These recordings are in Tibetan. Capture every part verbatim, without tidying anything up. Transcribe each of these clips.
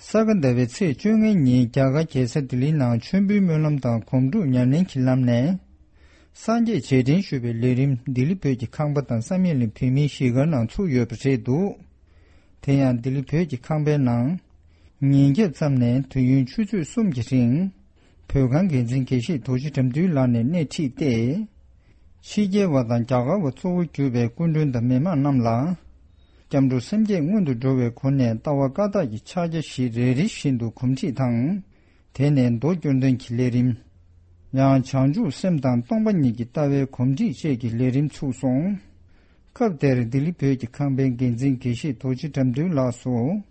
ས་ག་ཟླ་བའི་ཚེས་བཅོ་ལྔ་ཉིན་རྒྱ་གར་རྒྱལ་ས་ལྡི་ལིའི་ནང་མཆོད་འབུལ་སྨོན་ལམ་དང་སྒོམ་སྒྲུབ་ཉམས་ལེན་གྱི་ལམ་ནས། སངས་རྒྱས་རྗེས་དྲན་ཞུ་བའི་ལས་རིམ་ལྡི་ལི་བོད་ཀྱི་ཁང་པ་དང་བསམ་ཡས་གླིང་བོད་མིའི་གཞིས་སྒར་ནང་ཚུགས་ཡོད་པ་རེད་འདུག་དེ་ཡང་ལྡི་ལི་བོད་ཀྱི་ཁང་པའི་ནང་། ཉིན་རྒྱབ་ཙམ་ནས་དུས་ཡུན་ཆུ་ཚོད་གསུམ་གྱི་རིང་། བོད་ཁང་འགན་འཛིན་དགེ་བཤེས་རྡོ་རྗེ་དགྲ་འདུལ་ལགས་ནས་སྣེ་ཁྲིད་དེ། ཕྱི་རྒྱལ་བ་དང་རྒྱ་གར་བ་གཙོ་བོ་གྱུར་པའི་སྐུ་མགྲོན་དང་མི་མང་རྣམས་ལ། སྐྱབས་འགྲོ་སེམས་བསྐྱེད་སྔོན་དུ་འགྲོ་བའི་སྒོ་ནས་ལྟ་བ་བཀའ་རྟགས་ཀྱི་ཕྱག་རྒྱ་བཞི་རེ་རེ་བཞིན་དུ་གོམས་འདྲིས་དང་། དེ་ནས་མདོ་སྐྱོར་འདོན་གྱི་ལས་རིམ། ཡང་བྱང་ཆུབ་སེམས་དང་སྟོང་པ་ཉིད་ཀྱི་ལྟ་བའི་གོམས་འདྲིས་བཅས་ཀྱི་ལས་རིམ་ཚུགས་སོང་། སྐབས་དེར་ལྡི་ལི་བོད་ཀྱི་ཁང་པའི་འགན་འཛིན་དགེ་བཤེས་རྡོ་རྗེ་དགྲ་འདུལ་ལགས་སུ།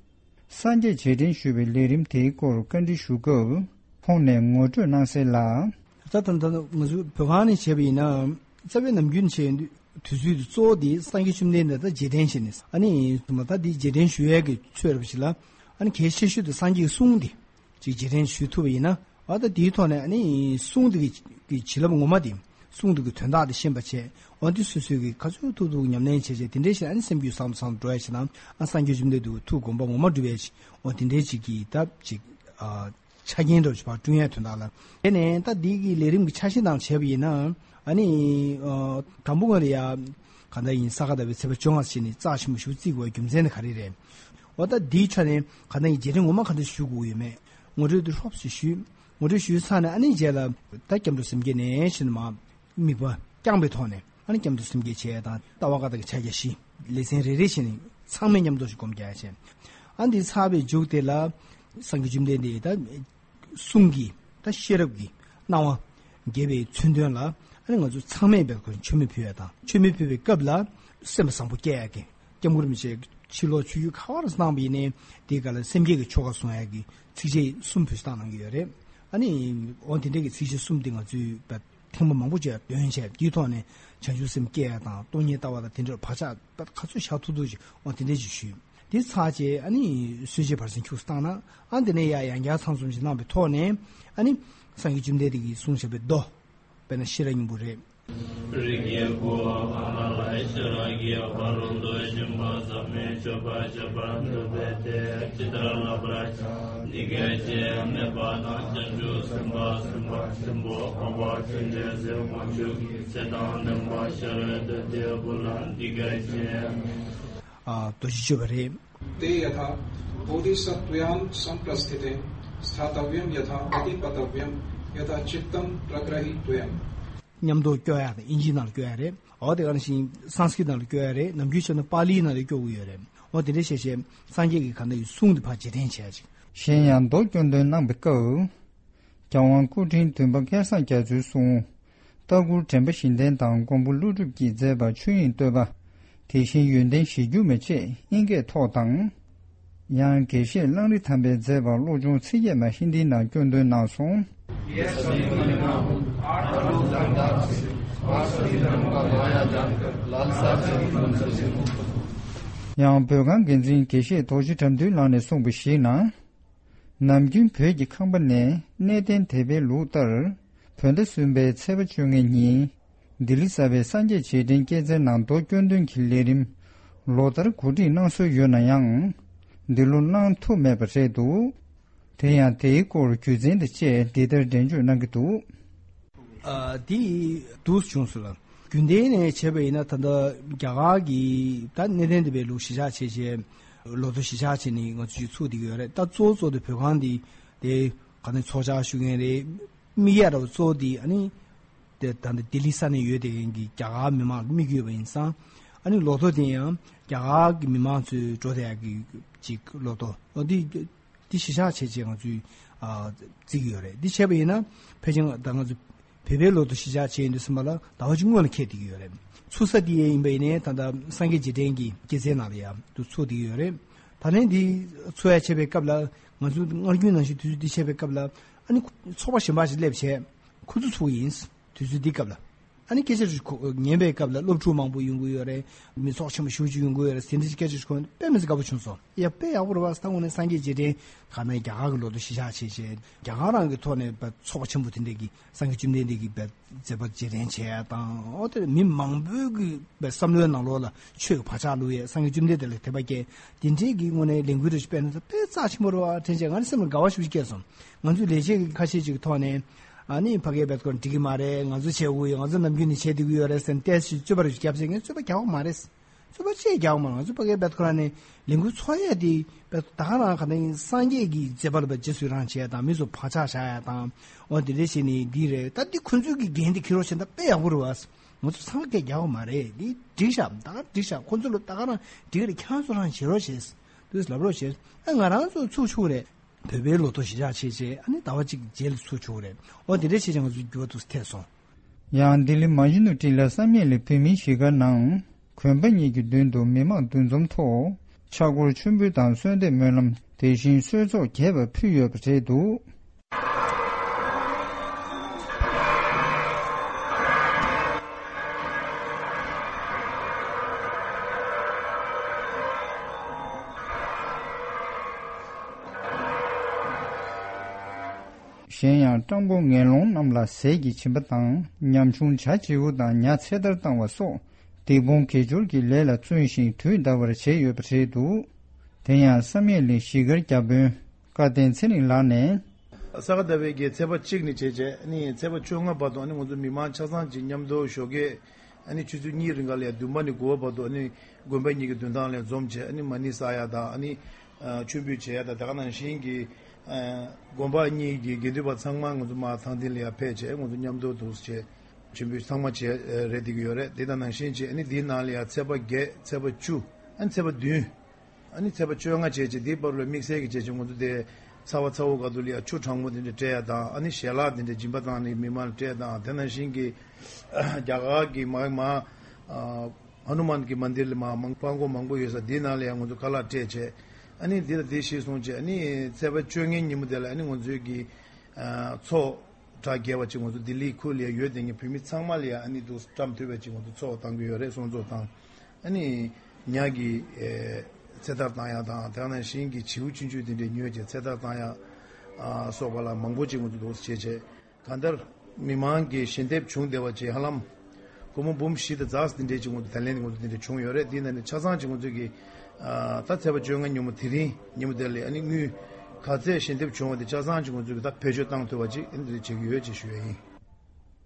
སངས་རྒྱས་རྗེས་དྲན་ཞུ་བའི་ལས་རིམ་དེའི་སྐོར་བཀའ་འདྲི་ཞུ་སྐབས་ཁོང་ནས་ངོ་སྤྲོད་གནང་གསལ་ལ། ད་ད་ད་ང་ཚོ་བོད་ཁང་ནས་བྱས་པ་ཡིན་ན། རྩ་བའི་ནམ་རྒྱུན་བྱས་ཡོང་དུས་དུས་ཚོད་དུ་གཙོ་བོ་དེ་སངས་རྒྱས་བཅོམ་ལྡན་འདས་ད་རྗེས་དྲན་བྱས་ནས། ཨ་ནི་ད་དེ་རྗེས་དྲན་ཞུ་ཡས་ཀྱི་ཚོད་རེད་པ་ཞིག་ལ། ཨ་ནི་གལ་ཆེ་ཤོས་དེ་སངས་རྒྱས་ཀྱི་གསུང་དེ་ཅིག་རྗེས་དྲན་ཞུ་ཐུབ་པ་ཡིན་ན། ཨ་ད་དེའི་ཐོག་ནས་ཨ་ནི་གསུང་དེ་གི་གི་བྱིན་རླབས་ངོ་མ་དེ། གསུང་དེ་གི་དོན་དག་དེ་ཤེས་པ་བྱས། འོ་དེ་སོ་སོའི་གི་ག་ཚོད་ཐུབ་ཐུབ་ཉམས་ལེན་བྱས་བྱས་དེ་འདྲའི་ཞིག་ཨ་ནི་སེམས་རྒྱུད་བཟང་དུ་བཟང་དུ་འགྲོ་ཡ་ཞིག་དང་། ཨ་སངས་རྒྱས་བཅོམ་ལྡན་འདས་ཐུགས་དགོངས་པ་ངོ་མ་འགྲུབ་ཡ་ཞིག་འོ་དེ་འདྲའི་ཅིག་གི་ད་ཅིག་ཨ། ཆ་རྐྱེན་འདྲ་བོ་ཞིག་ཕར་བསྐྲུན་ཡ་དོན་དག་ལ། དེ་ནས་ད་འདི་གི་ལས་རིམ་གྱི་ཆ་ཤས་ནང་བྱས་པ་ཡིན་ན། ཨ་ནི་ཨ་དང་པོ་ང་རེ་ཡ་ག་འདྲ་ཡིན། ས་ག་ཟླ་བའི་ཚེས་པ་བཅོ་ལྔ་ཞིག་ནས་རྩ་ཆེན་པོ་ཞིག་བརྩི་དགོས་པའི་རྒྱུ་མཚན་དེ་ག་རེ་རེད། འོ་ད་འདིའི་ཆ་ནས་ག་འདྲ་ཡིན། རྗེས་དྲན་ངོ་མ་ག་འདྲ་ཞུ་དགོས་ཡོད་མེད། ངོ་སྤྲོད་དེ་ལྷོབ་ཙམ་ཞུས། ངོ་སྤྲོད་ཞུས་ཚར་ནས་ཨ་ནི་རྗེས་ལ་ད་སྐྱབས་འགྲོ་སེམས་བསྐྱེད་ནས་ཞེས་མ། དམིགས་པ་བསྐྱངས་པའི་ཐོག་ནས་ཨ་ནི་སྐྱབས་འགྲོ་སེམས་བསྐྱེད་བྱས་དང་ལྟ་བ་བཀའ་རྟགས་ཀྱི་ཕྱག་རྒྱ་བཞི། ལེ་ཚན་རེ་རེ་བྱས་ནས་ཚང་མས་མཉམ་དུ་ཞིག་སྒོམ་རྒྱག་བྱས། ཨ་འདི་ཚར་བའི་མཇུག་དེ་ལ་སངས་རྒྱས་བཅོམ་ལྡན་འདས་ད་གསུང་གི་ད་ཤེས་རབ་ཀྱི་སྣང་བ་རྒྱས་པའི་མཚོན་དོན་ལ། ཨ་ནི་ང་ཚོ་ཚང་མས་འབད་དགོས། མཆོད་མེ་ཕུལ་ཡ་དང་། མཆོད་མེ་ཕུལ་བའི་སྐབས་ལ་སེམས་པ་བཟང་པོ་སྐྱེ་ཡ་གི། སྐྱབས་མགོན་རིན་པོ་ཆེ་ཕྱི་ལོགས་ཆོས་བརྒྱུད་ག་བར་གནང་བ་ཡིན་ནའི་དེའི་སྐབས་ལ་སེམས་བསྐྱེད་ཀྱི་ཆོ་ག་གསུང་ཡ་གི་ཚིགས་བཅད་གསུམ་ཕུལ་བཏང་གནང་གི་ཡོད་རེད། ཨ་ནི་འོ་དེ་འདྲའི་གི་ཚིགས་བཅད་གསུམ་དེ་ང་ཚོས་ཐེངས་མ་མང་པོ་ཅིག་འདོན་བྱས། དེའི་ཐོག་ནས་བྱང་ཆུབ་སེམས་བསྐྱེད་ཡ་དང་སྟོང་ཉིད་ལྟ་བ་དང་དེ་འདྲ་བག་ཆགས་ག་ཚོད་བཞག་ཐུབ་ཐུབ་ཅིག་འོ་དེ་འདྲ་ཅིག་ཞུས། དེ་ཚར་རྗེས་ཨ་ནི་གསོལ་ཇའི་བར་གསེང་ཁྱུག་ཙམ་བཏང་ན། ཨ་དེ་ནས་ཡ་ཡང་བསྐྱར་ཚང་འཛོམས་ཤིག་གནང་བའི་ཐོག་ནས། ཨ་ནི་སངས་རྒྱས་བཅོམ་ལྡན་འདས་ཀྱིས་གསུངས་བཞག་པའི་མདོ། དཔེར་ན་ཤེས་རབ་སྙིང་པོ་རེད། རིགས་ཀྱི་བུ་ཨ་མ་ལ་ཤེས་རབ་ཀྱི་བར་དུ་ཞིང་པ་ཟབ་མོའི་སྤྱོད་པ་སྤྱད་པར་འདོད་པས་དེ་ཇི་ལྟར་བསླབ་པར་བྱ། འདི་སྐད་ཅེས་སྨྲས་པ་དང་། བྱང་ཆུབ་སེམས་དཔའ་སེམས་དཔའ་ཆེན་པོ་འཕགས་པ་སྤྱན་རས་གཟིགས་དབང་ཕྱུག་གིས་ཚེ་དང་ལྡན་པ་ཤེས་རབ་ཏུ་དེའི་བུ་ལ་འདི་སྐད་ཅེས། ཨ་རྡོ་རྗེ་གཅོད་པ་རེད། ते यथा बोधिसत्त्वायां संप्रस्थिते स्थातव्यं यथा पतिपतव्यं यथा चित्तं प्रग्रहीतव्यम्། མཉམ་དུ་སྐྱོར་ཡག་དང་། ཨིན་ཇིའི་ནང་ལ་སྐྱོར་ཡག་རེད། འོ་དེ་ག་ནང་བཞིན་སཾ་སྐྲྀཏ་ནང་ལ་སྐྱོར་ཡག་རེད། ནམ་རྒྱུན་བྱས་ན་པཱ་ལིའི་ནང་ལ་སྐྱོར་གྱི་ཡོད་རེད། འོ་དེ་འདྲ་བྱས་བྱས་སངས་རྒྱས་ཀྱི་ག་འདྲ་ཡི་གསུང་དེ་ཕར་རྗེས་དྲན་བྱས་ཅིག་གཞན་ཡང་མདོ་སྐྱོར་འདོན་གནང་བའི་སྐབས། རྒྱལ་དབང་སྐུ་ཕྲེང་བདུན་པ་སྐལ་བཟང་རྒྱ་མཚོའི་གསུང་། ལྟ་བསྐུལ་དྲན་པ་བཞི་ལྡན་དང་མགོན་པོ་ཀླུ་སྒྲུབ་ཀྱིས་མཛད་པ་ཆོས་དབྱིངས་བསྟོད་པ། དེ་བཞིན་ཡོན་ཏན་གཞིར་གྱུར་མ་བཅས་དབྱིན་སྐད་ཐོག་དང་། ཡང་དགེ་བཤེས་གླང་རི་ཐང་པས་མཛད་པ་བློ་སྦྱོང་ཚིག་བརྒྱད་མ་ཧིན་དིའི་ནང་སྐྱོར་འདོན་གནང་སོང་། ཡང་བོད་ཁང་འགན་འཛིན་དགེ་བཤེས་རྡོ་རྗེ་དགྲ་འདུལ་ལགས་ནས་གསུངས་པ་ཞིག་ན། ནམ་རྒྱུན་བོད་ཀྱི་ཁང་པ་ནས་གནས་བརྟན་དད་པའི་ལུགས་ལྟར། བོད་ཟླ་གསུམ་པའི་ཚེས་པ་བཅོ་ལྔ་ཉིན། ལྡི་ལི་གསར་པའི་སངས་རྒྱས་རྗེས་དྲན་སྐྱེད་ཚལ་ནང་མདོ་སྐྱོར་འདོན་གྱི་ལས་རིམ་ལོ་ལྟར་གོ་སྒྲིག་གནང་སྲོལ་ཡོད་ན་ཡང་། འདི་ལོ་གནང་ཐུབ་མེད་པ་རེད་འདུག་དེ་ཡང་དེའི་སྐོར་རྒྱུ་མཚན་དང་བཅས་འདི་ལྟར་འགྲེལ་བརྗོད་གནང་གི་འདུག་ཨ་དེ་འདུག་བྱུང་སོང་ལ། རྒྱུན་ལྡན་ནས་བྱས་པ་ཡིན་ན་ད་ལྟ་རྒྱ་གར་གྱི་ད་གནས་བརྟན་དད་པའི་ལུགས་གཞིར་བཞག་བྱས་བྱས། ལོ་ཐོ་གཞིར་བཞག་བྱས་ནས་ང་ཚོས་ཚུགས་བསྡད་ཀྱི་ཡོད་རེད། ད་གཙོ་བོ་གཙོ་དེ་བོད་ཁང་འདི་དེ་ག་ནས་ཚོགས་བཅར་ཞུ་མཁན་རེད། དམིགས་ཡ་འདྲ་བོ་གཙོ་བོ་དེ་ཨ་ནི་དེ་ད་ལྟ་ལྡི་ལི་ས་གནས་ཡོད་བསྡད་མཁན་གྱི་རྒྱ་གར་མི་མང་ལ་དམིགས་ཡོད་པ་ཡིན་ཙང་། ཨ་ནི་ལོ་ཐོ་དེ་ཡང་རྒྱ་གར་གྱི་མི་མང་ཚོས་འགྲོ་བསྡད་ཡག་གི་ཅིག་ལོ་ཐོ། འོ་འདི་འདི་གཞིར་བཞག་བྱས་བྱས་ང་ཚོས་ཨ་བརྩི་གི་ཡོད་རེད། འདི་བྱས་པ་ཡིན་ན་ཕལ་ཆེར་ད་ང་ཚོ་བོད་པའི་ལོ་ཐོ་གཞིར་བཞག་བྱས་ཡིན་དུས་ཙམ་པ་ལ་ཟླ་བ་གཅིག་སྔོན་ལ་འཁེལ་བསྡད་ཀྱི་ཡོད་རེད། ཚུགས་ས་འདི་ཡིན་པ་ཡིན་ནའི་ད་ལྟ་སངས་རྒྱས་རྗེས་དྲན་གྱི་སྐྱེད་ཚལ་ནང་ལ་ཡང་དུ་ཚུགས་བསྡད་ཀྱི་ཡོད་རེད། ད་ལན་འདི་ཚུགས་ཡ་བྱས་པའི་སྐབས་ལ་ང་ཚོ་སྔར་རྒྱུན་ནང་བཞིན་དུས་ཚོད་འདི་བྱས་པའི་སྐབས་ལ་ཨ་ནི་ཚོགས་པ་གཞན་པ་ཞིག་སླེབས་བྱས་ཁོ་ཚོ་ཚུགས་ཡིན། དུས་ཚོད་འདི་སྐབས་ལ། ཨ་ནི་སྐད་ཆ་ཞིག་གོ་ཉན་པའི་སྐབས་ལ་སློབ་ཕྲུག་མང་པོ་ཡོང་གི་ཡོད་རེད། མི་ཚོགས་ཆེན་པོ་ཞེ་པོ་ཅིག་ཡོང་གི་ཡོད་རེད། དེ་འདྲ་ཞིག་སྐད་ཆ་ཞིག་གོ་དཔེ་མི་སྲིད་དགའ་པོ་བྱུང་སོང་། ཡ་དཔེ་ཡག་པོ་རེད་བ། ད་དངོས་གནས་སངས་རྒྱས་རྗེས་དྲན་ག་ནས་རྒྱ་གར་གྱི་ལོ་ཐོ་གཞི་བཞག་བྱས་བྱས་རྒྱ་གར་རང་གི་ཐོག་ནས་ཚོགས་པ་ཆེན་པོ་དེ་འདྲས་ཀྱིས་སངས་རྒྱས་བཅོམ་ལྡན་འདས་ཀྱི་མཛད་པ་རྗེས་དྲན་བྱས་ཡ་དང་། འོ་དེ་མི་མང་པོའི་གི་བསམ་བློའི་ནང་ལོགས་ལ་ཆོས་ཀྱི་བག་ཆགས་བླུགས་ཡས། སངས་རྒྱས་བཅོམ་ལྡན་འདས་ལ་དད་པ་སྐྱེས། དེ་འདྲས་ཀྱི་དངོས་གནས་ལས་འགུལ་རེ་ཞིག་སྤེལ་ན་ད་དཔེ་རྩ་ཆེན་པོ་རེད་བ། དྲན་བྱས་ང་ནི་སེམས་ལ་དགའ་བ་ཞེ་པོ་ཅིག་སྐྱེས་སོང་། ང་ཚོའི་ལས་བྱེད་ཀྱི་ཁ་ཤས་ཅིག་གི་ཐོག་ནས་ཨ་ནི་ཕ་གིའི་བེད་ཁོ་འགྲིག་གི་མ་རེད། ང་ཚོ་བྱེད་དགོས་ཡོད། ང་ཚོ་ནམ་རྒྱུན་ནས་བྱེད་བསྡད་ཀྱི་ཡོད་རེད་ཟེར་ནས་ཏོག་ཙམ་རྩོད་པ་རེ་ཞིག་བརྒྱབ་ཚེ་ངས་རྩོད་པ་རྒྱག་གི་མ་རེད། རྩོད་པ་ཅིག་རྒྱག་གི་མ་རེད། ང་ཚོ་ཕ་གིའི་བེད་ཁོ་རང་ནས་ལས་འགུལ་ཚོགས་ཡས་དེ་བེད་ད་ག་རང་ག་ནས་སངས་རྒྱས་ཀྱི་མཛད་པ་ལ་བ་རྗེས་སུ་ཡི་རང་བྱས་དང་། མི་ཚོ་བག་ཆགས་བཞག་ཡ་དང་། འོ་དེ་འདྲ་བྱས་ནས་འདི་རེད། ད་འདི་ཁོ་ཚོའི་གི་འགན་དེ་འཁྱེར་རོགས་བྱས་ན་ད་དཔེ་ཡག་པོ་རེད་བ། ང་ཚོ་ཚང་མ་སྐད་རྒྱག་གི་མ་རེད། འདི་འགྲིག་ཤག་ད་ག་འགྲིག་ཤག་ཁོ་ཚོ་ལ་ད་ག་རང་འགྲིག་རེད། ཁྱེད་རང་ཚོ་རང་བྱེད་རོགས་བྱེད། དུས་ལབ་རོགས་བྱེད། ཨ་ང་རང་ཚོ་ཚུགས་ཆོག་རེད། བོད་པའི་ལོ་ཐོ་གཞི་བཞག་བྱས་བྱས་ཨ་ནི་ཟླ་བ་གཅིག་རྗེས་ལ་ཚུགས་ཆོག་རེད། འོ་དེ་འདྲ་བྱས་བྱས་ང་ཚོ་འགྱུར་བ་ཏོག་ཙམ་ཐེབས་སོང་། ཡང་ལྡི་ལི་མ་ཇི་ནུ་ཊི་ལ་བསམ་ཡས་གླིང་བོད་མིའི་གཞིས་སྒར་ནང་དགོན་པ་གཉིས་ཀྱི་མདུན་དུ་མི་མང་འདུ་འཛོམས་ཐོག་ཕྱག་སྐོར་མཆོད་འབུལ་དང་གསོལ་འདེབས་སྨོན་ལམ། དེ་བཞིན་གསོལ་ཚོགས་རྒྱས་པ་ཕུལ་ཡོད་པ་རེད་འདུག་གཞན་ཡང་སྤྲང་པོ་ངན་སློང་རྣམས་ལ་ཟས་ཀྱི་སྦྱིན་པ་དང་ཉམ་ཆུང་བྱ་བྱིའུ་དང་ཉ་ཚེ་ཐར་བཏང་བ་སོགས་སྡིག་སྤོང་དགེ་སྦྱོར་གྱི་ལས་ལ་བརྩོན་ཞིང་དུས་འདའ་བར་བྱས་ཡོད་པ་རེད་འདུག་དེ་ཡང་བསམ་ཡས་གླིང་གཞིས་སྒར་བརྒྱ་དཔོན་བཀའ་བསྟན་ཚེ་རིང་ལགས་ནས། ས་ག་ཟླ་བའི་གི་ཚེས་པ་གཅིག་ནས་བྱས་བྱས་ཨ་ནི་ཚེས་པ་བཅོ་ལྔ་བར་དུ་ཨ་ནི་ང་ཚོ་མི་མང་ཆ་ཚང་གཅིག་མཉམ་དུ་ཞོགས་ཀས་ཨ་ནི་ཆུ་ཚོད་གཉིས་རིང་ག་ལ་ཡ་བདུན་པ་ནས་དགུ་པ་བར་དུ་ཨ་ནི་དགོན་པ་གཉིས་ཀྱི་མདུན་ཐང་ལ་འཛོམས་བྱས་ཨ་ནི་མ་ཎི་བསགས་ཡ་དང་ཨ་ནི་མཆོད་འབུལ་བྱེད་ཡ་དང་། དེ་ག་ནང་བཞིན་གྱི་དགོན་པ་གཉིས་ཀྱི་དགེ་འདུན་པ་ཚང་མ་ང་ཚོ་མར་ཐང་སྟེང་ལ་ཡ་ཕེབས་བྱས་ང་ཚོ་མཉམ་དུ་འདུག་བྱས་མཆོད་འབུལ་ཚང་མ་བྱས་རེད་བསྡད་ཀྱི་ཡོད་རེད། དེ་དང་ནང་བཞིན་བྱས་ཨ་ནི་དེའི་ནང་ལ་ཡ་ཚེས་པ་བརྒྱད་ཚེས་པ་བཅུ་ཨ་ནི་ཚེས་པ་བདུན། ཨ་ནི་ཚེས་པ་བཅོ་ལྔ་བྱས་རྗེས་དེའི་བར་ལ་དམིགས་བསལ་གྱི་བྱས་རྗེས་ང་ཚོ་དེ་ཚ་བ་ཚ་བོ་ག་དུ་ལ་ཡ་ཆུ་གྲང་མོ་དེ་འདྲ་སྤྲད་ཡ་དང་ཨ་ནི་ཞལ་ལག་དེ་འདྲ་སྦྱིན་པ་བཏང་ནས་མི་མང་ལ་སྤྲད་དང་། དེ་ནང་བཞིན་གྱི་རྒྱ་གར་གྱི་མ་མ་ཧ་ནུ་མན་གྱི་མན་དིར་ལ་མ་མང་པང་གོ་མང་པོ་ཡོད་ས་དེའི་ནང་ལ་ཡ་ང་ཚོ་ཁ་ལག་སྤྲད་བྱས་ཨ་ནི་དེ་ལ་དེ་གཞིར་བཟུང་བྱས་ཨ་ནི་ཚེས་པ་བཅོ་ལྔའི་ཉིན་མོ་དེ་ལ་ཨ་ནི་ང་ཚོའི་གི་ཚོགས་གྲ་རྒྱས་པ་ཅིག་ང་ཚོ་ལྡི་ལི་ཁུལ་ལ་ཡ་ཡོད་དེ་ངས་བོད་མི་ཚང་མ་ལ་ཡ་ཨ་ནི་འདུག་བཀྲམ་ཐུབ་པ་ཅིག་ང་ཚོ་ཚོགས་བཏང་གི་ཡོད་རེད། སྲུང་བཙོག་བཏང་། ཨ་ནི་ཉ་གི་ཚེ་ཐར་བཏང་ཡ་དང་དེ་ནང་བཞིན་གྱི་བྱིའུ་ཆུང་ཆུང་དེ་འདྲས་ཉོས་བྱས་ཚེ་ཐར་བཏང་ཡ་སོགས་པ་ལ་མང་པོ་ཅིག་ང་ཚོ་འདུག་བྱས་བྱས་གང་ལྟར་མི་མང་གི་ཞལ་འདེབས་བྱུང་བསྡད་པ་ཅིག་ཧ་ལམ་སྒོར་མོ་འབུམ་བཞི་དང་ཙམ་དེ་འདྲས་ཅིག་ང་ཚོ་ད་ལན་ང་ཚོ་དེ་འདྲས་བྱུང་ཡོད་རེད། དེ་ནང་ནས་ཆ་ཚང་ཅིག་ང་ཚོ་གི་ད་ཚེས་པ་བཅོ་ལྔ་ཉིན་མོ་དེ་རིང་ཉིན་མོ་དེ་ལ་ཨ་ནི་དངུལ་ག་ཚད་ཞལ་འདེབས་བྱུང་བ་དེ་ཆ་ཚང་ཅིག་ང་ཚོ་གི་ད་བེད་སྤྱོད་བཏང་ཐུབ་པ་ཅིག་ཨ་ནི་དེ་འདྲས་བྱེད་ཀྱི་ཡོད་ཅེས་ཞུ་ཡ་ཡིན།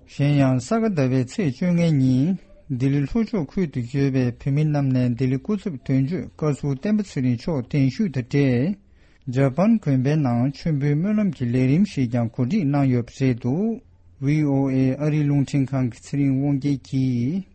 གཞན་ཡང་ས་ག་ཟླ་བའི་ཚེས་བཅོ་ལྔ་ཉིན་ལྡི་ལི་ལྷོ་ཕྱོགས་ཁུལ་དུ་ཡོད་པའི་བོད་མི་རྣམས་ནས་ལྡི་ལི་སྐུ་ཚབ་དོན་གཅོད་བཀའ་ཟུར་བསྟན་པ་ཚེ་རིང་མཆོག་གདན་ཞུས་དང་འབྲེལ་ཇ་པན་དགོན་པའི་ནང་མཆོད་འབུལ་སྨོན་ལམ་གྱི་ལས་རིམ་ཞིག་ཀྱང་གོ་སྒྲིག་གནང་ཡོད་པ་རེད་འདུག་ཝི་ཨོ་ཨེ་ཨ་རིའི་རླུང་འཕྲིན་ཁང་གི་ཚེ་རིང་དབང་རྒྱལ་གྱིས།